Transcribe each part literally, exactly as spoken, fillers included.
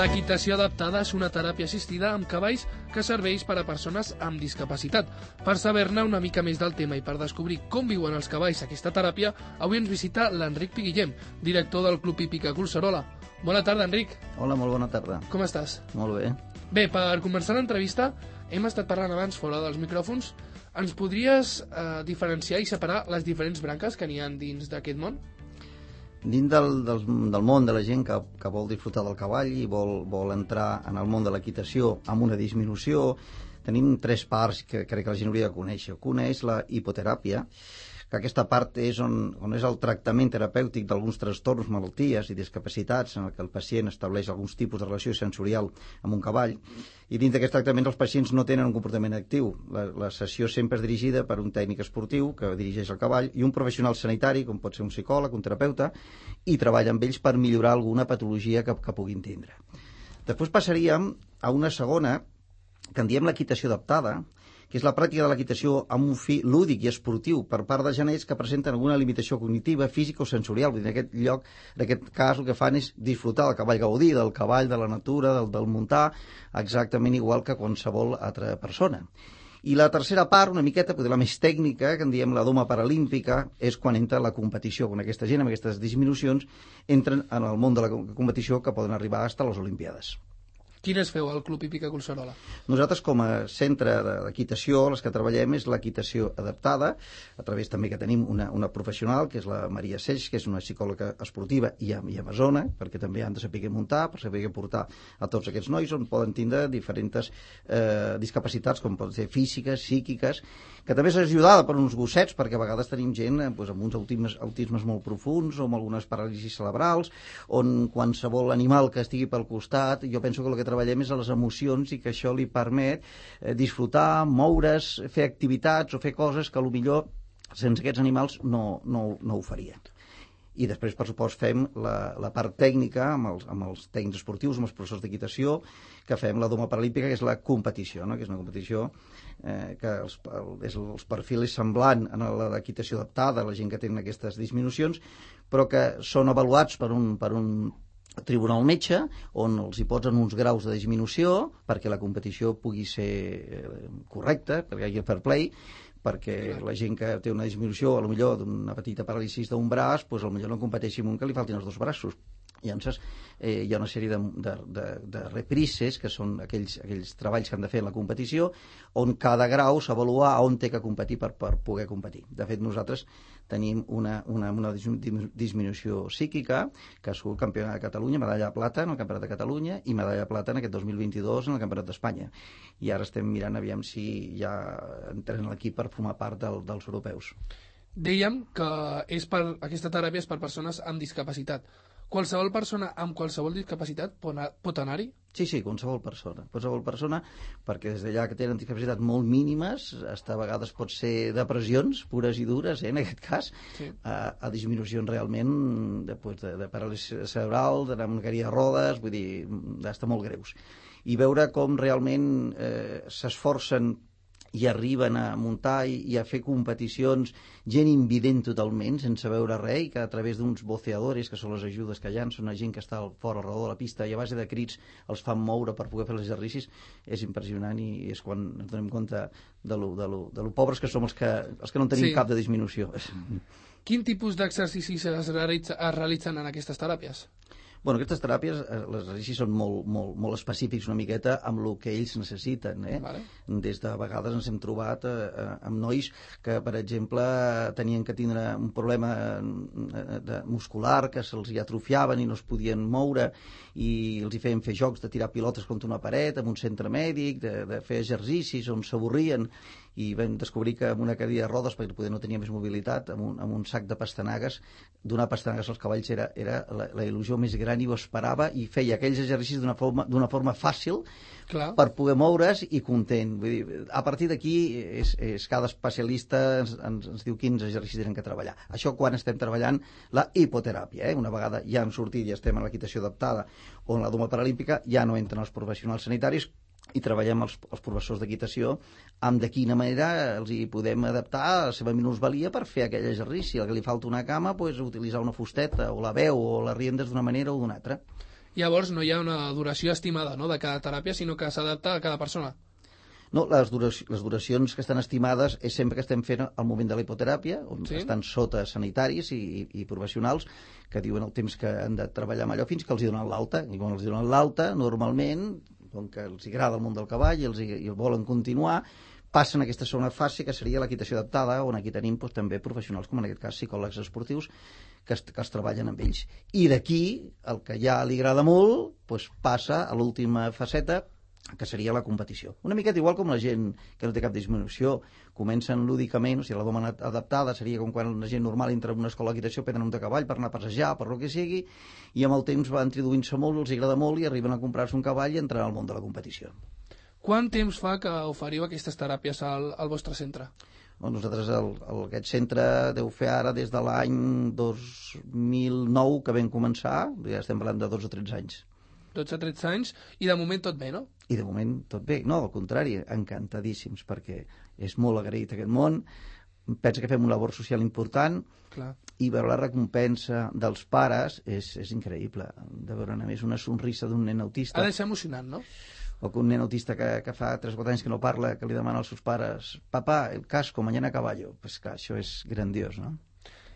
L'equitació adaptada és una teràpia assistida amb cavalls que serveix per a persones amb discapacitat. Per saber-ne una mica més del tema i per descobrir com viuen els cavalls aquesta teràpia, avui ens visita l'Enric Piguillem, director del Club Hípica Collserola. Bona tarda, Enric. Hola, molt bona tarda. Com estàs? Molt bé. Bé, per començar l'entrevista, hem estat parlant abans fora dels micròfons. Ens podries eh, diferenciar i separar les diferents branques que n'hi ha dins d'aquest món? Dins del, del, del món de la gent que, que vol disfrutar del cavall i vol, vol entrar en el món de l'equitació amb una disminució, tenim tres parts que crec que la gent hauria de conèixer. Una és la hipoteràpia, que aquesta part és on, on és el tractament terapèutic d'alguns trastorns, malalties i discapacitats en què el pacient estableix alguns tipus de relació sensorial amb un cavall, i dins d'aquest tractament els pacients no tenen un comportament actiu. La, la sessió sempre és dirigida per un tècnic esportiu que dirigeix el cavall i un professional sanitari, com pot ser un psicòleg, un terapeuta, i treballa amb ells per millorar alguna patologia que, que puguin tindre. Després passaríem a una segona, que en diem l'equitació adaptada, que és la pràctica de l'equitació amb un fi lúdic i esportiu per part de genets que presenten alguna limitació cognitiva, física o sensorial. En aquest lloc, en aquest cas, el que fan és disfrutar del cavall, gaudir del cavall, de la natura, del, del muntar, exactament igual que qualsevol altra persona. I la tercera part, una miqueta, potser la més tècnica, que en diem la doma paralímpica, és quan entra la competició, quan aquesta gent amb aquestes disminucions entren en el món de la competició que poden arribar fins a les Olimpiades. Quines feu al Club Hípica Collserola? Nosaltres, com a centre d'equitació, les que treballem és l'equitació adaptada, a través també que tenim una, una professional, que és la Maria Seix, que és una psicòloga esportiva i, i amazona, perquè també han de saber muntar, per saber portar a tots aquests nois, on poden tindre diferents eh, discapacitats, com poden ser físiques, psíquiques, que també és ajudada per uns gossets, perquè a vegades tenim gent eh, doncs, amb uns autismes, autismes molt profuns, o amb algunes paràlisis cerebrals, on qualsevol animal que estigui pel costat, jo penso que el que treballem és a les emocions i que això li permet eh, disfrutar, moure's, fer activitats o fer coses que potser sense aquests animals no, no, no ho faria. I després, per supost, fem la, la part tècnica amb els, amb els tècnics esportius, amb els professors d'equitació, que fem la doma paralímpica, que és la competició, no? Que és una competició eh, que els, el, és, els perfil és semblant a l'equitació adaptada, la gent que tenen aquestes disminucions, però que són avaluats per un, per un tribunal metge, on els hi posen uns graus de disminució perquè la competició pugui ser correcta, perquè hi hagi fair play, perquè la gent que té una disminució, a lo millor d'una petita paràlisi d'un braç, doncs a lo millor no competeixi amb un que li faltin els dos braços. Llavors, eh, hi ha una sèrie de, de, de, de reprises, que són aquells, aquells treballs que han de fer en la competició, on cada grau s'avalua on té que competir per, per poder competir. De fet, nosaltres tenim una, una, una disminució psíquica, que ha sigut campiona de Catalunya, medalla de plata en el Campionat de Catalunya i medalla de plata en aquest dos mil vint-i-dos en el Campionat d'Espanya. I ara estem mirant aviam si ja entren a l'equip per formar part del, dels europeus. Dèiem que és per, aquesta teràpia és per persones amb discapacitat. Qualsevol persona amb qualsevol discapacitat pot anar-hi? Sí, sí, qualsevol persona. Qualsevol persona, perquè des d'allà que tenen discapacitats molt mínimes, hasta a vegades pot ser depressions pures i dures, eh, en aquest cas, sí. a, a disminucions realment de, de, de paràlisi cerebral, de mancaria de rodes, vull dir, d'estar molt greus. I veure com realment eh, s'esforcen i arriben a muntar i, i a fer competicions, gent invident totalment, sense veure res, i que a través d'uns voceadores, que són les ajudes que hi ha, són una gent que està fora al redor de la pista i a base de crits els fan moure per poder fer els exercicis, és impressionant i és quan ens donem compte de lo, de lo, de lo pobres que som els que, els que no tenim sí. cap de disminució. Quin tipus d'exercicis es, realitza, es realitzen en aquestes teràpies? Bueno, aquestes teràpies, les exercicis són molt, molt, molt específics una miqueta amb el que ells necessiten. Eh? Vale. Des de vegades ens hem trobat eh, amb nois que, per exemple, tenien que tindre un problema de, muscular, que se'ls hi atrofiaven i no es podien moure, i els hi feien fer jocs de tirar pilotes contra una paret, amb un centre mèdic, de, de fer exercicis on s'avorrien, i vam descobrir que amb una cadira de rodes, perquè poder no tenia més mobilitat, amb un, amb un sac de pastanagues, donar pastanagues als cavalls era, era la, la il·lusió més gran i ho esperava, i feia aquells exercicis d'una forma, d'una forma fàcil. Clar. Per poder moure's i content. Vull dir, a partir d'aquí és, és cada especialista ens, ens, ens diu quins exercicis tenen que treballar. Això quan estem treballant la hipoteràpia. Eh? Una vegada ja hem sortit i estem en l'equitació adaptada o en la doma paralímpica, ja no entren els professionals sanitaris i treballem els, els professors d'equitació amb de quina manera els hi podem adaptar a la seva minusvalia per fer aquell exercici. El que li falta una cama, pues, utilitzar una fusteta o la veu o les riendes d'una manera o d'una altra. Llavors no hi ha una duració estimada, no?, de cada teràpia, sinó que s'adapta a cada persona. No, les, duracions, les duracions que estan estimades és sempre que estem fent al moment de la hipoteràpia, on sí? estan sota sanitaris i, i, i professionals que diuen el temps que han de treballar amb allò fins que els hi donen l'alta. I quan els hi donen l'alta, normalment, com que els agrada el món del cavall i els hi, i el volen continuar, passen a aquesta segona fase, que seria l'equitació adaptada, on aquí tenim doncs, també professionals, com en aquest cas psicòlegs esportius, que es, que es treballen amb ells. I d'aquí, el que ja li agrada molt, doncs, passa a l'última faceta, que seria la competició. Una miqueta igual com la gent que no té cap disminució, comencen lúdicament, o sigui, la doma adaptada seria com quan la gent normal entra en una escola d'equitació, prenen un de cavall per anar a passejar, per el que sigui, i amb el temps va introduint-se molt, els agrada molt i arriben a comprar-se un cavall i entrar al món de la competició. Quant temps fa que oferiu aquestes teràpies al, al vostre centre? Bueno, nosaltres el, el, aquest centre deu fer ara des de l'any dos mil nou que vam començar, ja estem parlant de dotze o tretze anys. dotze o tretze anys, i de moment tot bé, no? I de moment tot bé. No, al contrari, encantadíssims, perquè és molt agraït aquest món, pensa que fem una labor social important. Clar. I veure la recompensa dels pares és, és increïble. De veure, a més, una sonrisa d'un nen autista. Ha de ser emocionant, no? O que un nen autista que, que fa tres o quatre anys que no parla, que li demana als seus pares «Papà, el casco, mañana a caballo». Pues clar, això és grandiós, no?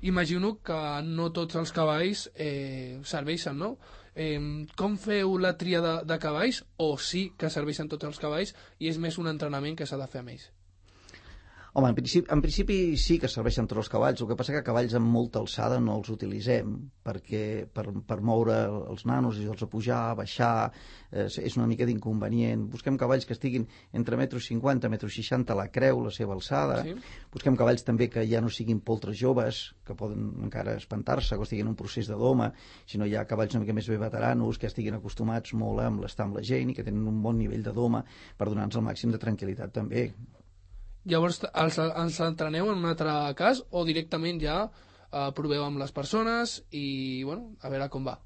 Imagino que no tots els cavalls eh, serveixen, no? Eh, com feu la tria de, de cavalls? O sí que serveixen tots els cavalls i és més un entrenament que s'ha de fer amb ells? Home, en principi, en principi sí que serveixen tots els cavalls, el que passa que cavalls amb molta alçada no els utilitzem, perquè per, per moure els nanos i els a pujar, a baixar, eh, és una mica d'inconvenient. Busquem cavalls que estiguin entre metro cinquanta, metro seixanta a la creu, la seva alçada. Sí. Busquem cavalls també que ja no siguin poltres joves, que poden encara espantar-se, que estiguin en un procés de doma, sinó hi ha cavalls una mica més bé veteranos, que estiguin acostumats molt a estar amb la gent i que tenen un bon nivell de doma per donar-nos el màxim de tranquil·litat també. Llavors els, els entreneu en un altre cas o directament ja eh, proveu amb les persones i, bueno, a veure com va?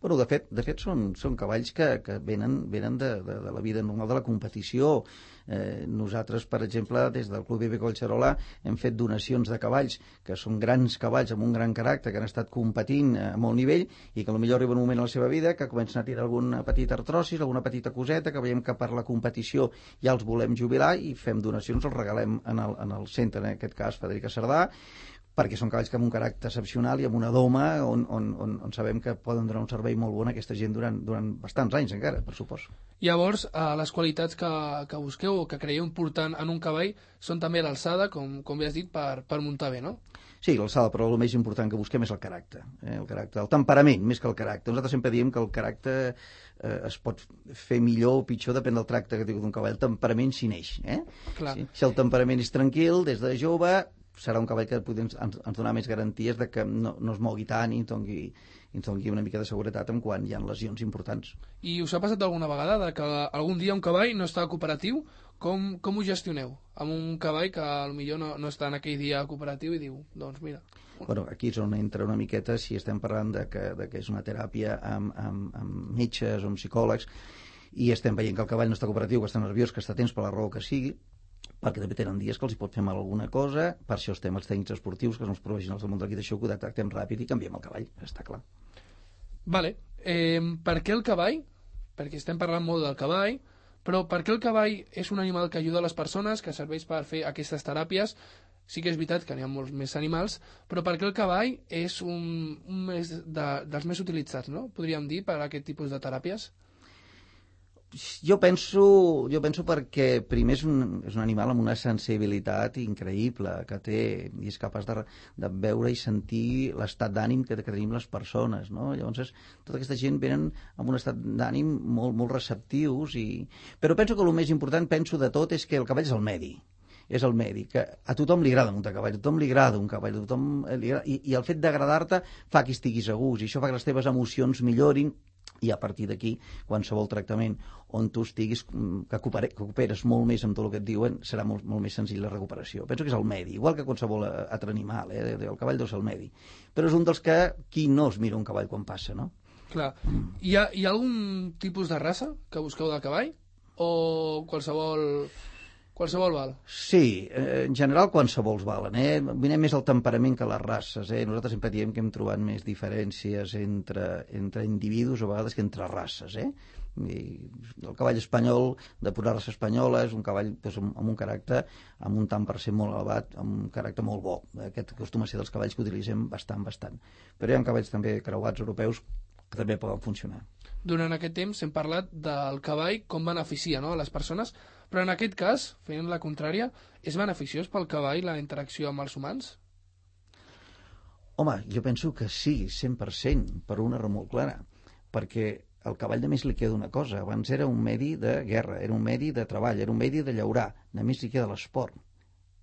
Bueno, de fet, de fet són, són cavalls que, que venen, venen de, de, de la vida normal de la competició. Eh, nosaltres, per exemple, des del Club Hípic Collserola hem fet donacions de cavalls que són grans cavalls amb un gran caràcter, que han estat competint a molt nivell i que potser arriba un moment a la seva vida que comencen a tirar alguna petita artrosis, alguna petita coseta, que veiem que per la competició ja els volem jubilar i fem donacions, els regalem en el, en el centre, en aquest cas Federica Cerdà, perquè són cavalls que amb un caràcter excepcional i amb una doma on, on, on, on sabem que poden donar un servei molt bon a aquesta gent durant, durant bastants anys encara, per suposo. Llavors, eh, les qualitats que, que busqueu o que creieu important en un cavall són també l'alçada, com, com bé has dit, per, per muntar bé, no? Sí, l'alçada, però el més important que busquem és el caràcter, eh? el caràcter, el temperament, més que el caràcter. Nosaltres sempre diem que el caràcter eh, es pot fer millor o pitjor, depèn del tracte que tingui d'un cavall. El temperament s'hi neix. Eh? Clar. Sí? Si el temperament és tranquil, des de jove, serà un cavall que ens, ens donar més garanties de que no, no es mogui tant i ens doni, ens doni una mica de seguretat en quan hi ha lesions importants. I us ha passat alguna vegada de que algun dia un cavall no està cooperatiu? Com, com ho gestioneu? Amb un cavall que potser no, no està en aquell dia cooperatiu i diu, doncs mira... Bueno, aquí és on entra una miqueta si estem parlant de que, de que és una teràpia amb, amb, amb metges o amb psicòlegs i estem veient que el cavall no està cooperatiu, que està nerviós, que està tens per la raó que sigui, perquè també tenen dies que els hi pot fer mal alguna cosa, per això estem els tècnics esportius, que són els professionals del món de l'equitació, que ho detectem ràpid i canviem el cavall, està clar. Vale. Eh, per què el cavall? Perquè estem parlant molt del cavall, però per què el cavall és un animal que ajuda a les persones, que serveix per fer aquestes teràpies? Sí que és veritat que n'hi ha molts més animals, però per què el cavall és un, un més de, dels més utilitzats, no? Podríem dir, per a aquest tipus de teràpies? Jo penso, jo penso perquè primer és un, és un animal amb una sensibilitat increïble que té i és capaç de, de veure i sentir l'estat d'ànim que, que tenim les persones, no? Llavors, tota aquesta gent venen amb un estat d'ànim molt, molt receptius i... Però penso que el més important, penso de tot, és que el cavall és el medi. És el medi, que a tothom li agrada muntar cavall, a tothom li agrada un cavall, a tothom li agrada, i, i el fet d'agradar-te fa que estiguis a gust, i això fa que les teves emocions millorin, i a partir d'aquí, qualsevol tractament on tu estiguis, que cooperes molt més amb tot el que et diuen, serà molt, molt més senzill la recuperació. Penso que és el medi, igual que qualsevol altre animal, eh? El cavall deu ser el medi. Però és un dels que qui no es mira un cavall quan passa, no? Clar. Hi ha, hi ha algun tipus de raça que busqueu del cavall? O qualsevol... Qualsevol val. Sí, eh, en general qualsevol valen, eh? Vinem més el temperament que les races, eh? Nosaltres sempre diem que hem trobat més diferències entre, entre individus a vegades que entre races, eh? I el cavall espanyol, de pura raça espanyola, és un cavall doncs, amb, amb un caràcter, amb un tant per cent molt elevat, amb un caràcter molt bo. Aquest acostuma a ser dels cavalls que utilitzem bastant, bastant. Però hi ha cavalls també creuats europeus que també poden funcionar. Durant aquest temps hem parlat del cavall com beneficia, no?, a les persones, però en aquest cas, fent la contrària, és beneficiós pel cavall la interacció amb els humans? Home, jo penso que sí, cent per cent, per una raó molt clara, perquè al cavall només li queda una cosa. Abans era un medi de guerra, era un medi de treball, era un medi de llaurar. Només li queda l'esport.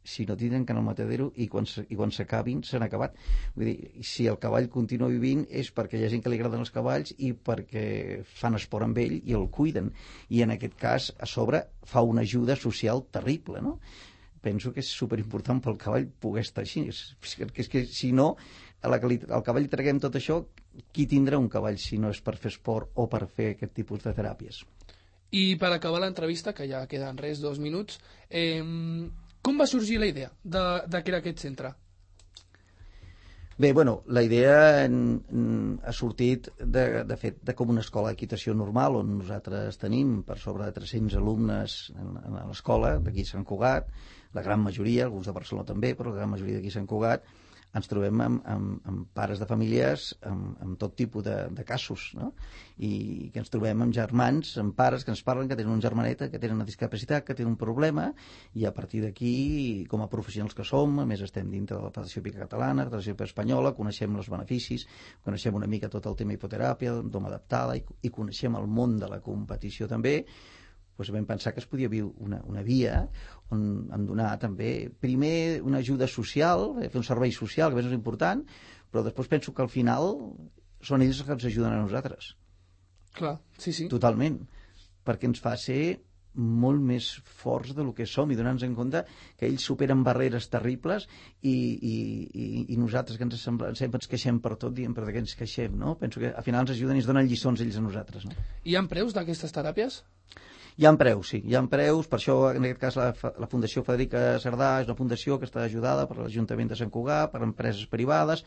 Si no tindran que anar al matadero i quan, i quan s'acabin s'han acabat. Vull dir, si el cavall continua vivint és perquè hi ha gent que li agraden els cavalls i perquè fan esport amb ell i el cuiden. I en aquest cas, a sobre, fa una ajuda social terrible, no? Penso que és superimportant pel cavall poder estar així. És, és que si no, a la que li, al cavall li traguem tot això, qui tindrà un cavall si no és per fer esport o per fer aquest tipus de teràpies? I per acabar l'entrevista, que ja queden res, dos minuts, eh, com va sorgir la idea de, de crear aquest centre? Bé, bueno, la idea en, en, ha sortit de, de fet de com una escola d'equitació normal on nosaltres tenim per sobre de tres-cents alumnes en, en l'escola d'aquí a Sant Cugat, la gran majoria, alguns de Barcelona també, però la gran majoria d'aquí a Sant Cugat, ens trobem amb, amb, amb pares de famílies amb, amb tot tipus de, de casos, no? I que ens trobem amb germans, amb pares que ens parlen que tenen un germaneta, que tenen una discapacitat, que tenen un problema, i a partir d'aquí, com a professionals que som, a més estem dintre de la Federació Hípica Catalana, la Federació Hípica Espanyola, coneixem els beneficis, coneixem una mica tot el tema hipoteràpia, doma adaptada, i, i coneixem el món de la competició també. Doncs vam pensar que es podia viure una, una via on en donar també, primer, una ajuda social, fer un servei social, que és important, però després penso que al final són ells els que ens ajuden a nosaltres. Clar, sí, sí. Totalment, perquè ens fa ser molt més forts del que som i donar-nos en compte que ells superen barreres terribles i, i, i, i nosaltres que ens sembla, sempre ens queixem per tot, diem per què ens queixem, no? Penso que al final ens ajuden i ens donen lliçons ells a nosaltres, no? Hi ha preus d'aquestes teràpies? Hi ha preus, sí, hi ha preus, per això en aquest cas la, la Fundació Federica Cerdà és una fundació que està ajudada per l'Ajuntament de Sant Cugat, per empreses privades,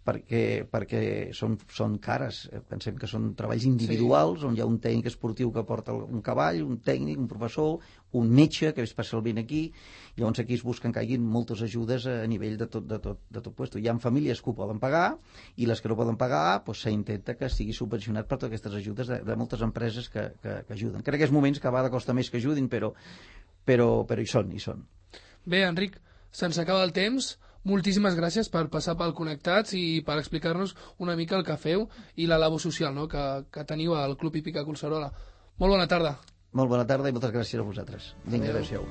perquè, perquè són, són cares, pensem que són treballs individuals, sí, on hi ha un tècnic esportiu que porta un cavall, un tècnic, un professor, un metge que és especialment aquí, llavors aquí es busquen que hi hagi moltes ajudes a nivell de tot, de tot, de tot puesto. Hi ha famílies que ho poden pagar i les que no poden pagar doncs s'intenta que estigui subvencionat per totes aquestes ajudes de, de moltes empreses que, que, que ajuden. Crec que en aquests moments que a vegades costa més que ajudin, però, però, però hi són, hi són. Bé, Enric, se'ns acaba el temps. Moltíssimes gràcies per passar pel Connectats i per explicar-nos una mica el que feu i la labor social, no?, que, que teniu al Club Hípica Collserola. Molt bona tarda. Molt bona tarda i moltes gràcies a vosaltres. Vinga, adéu-siau.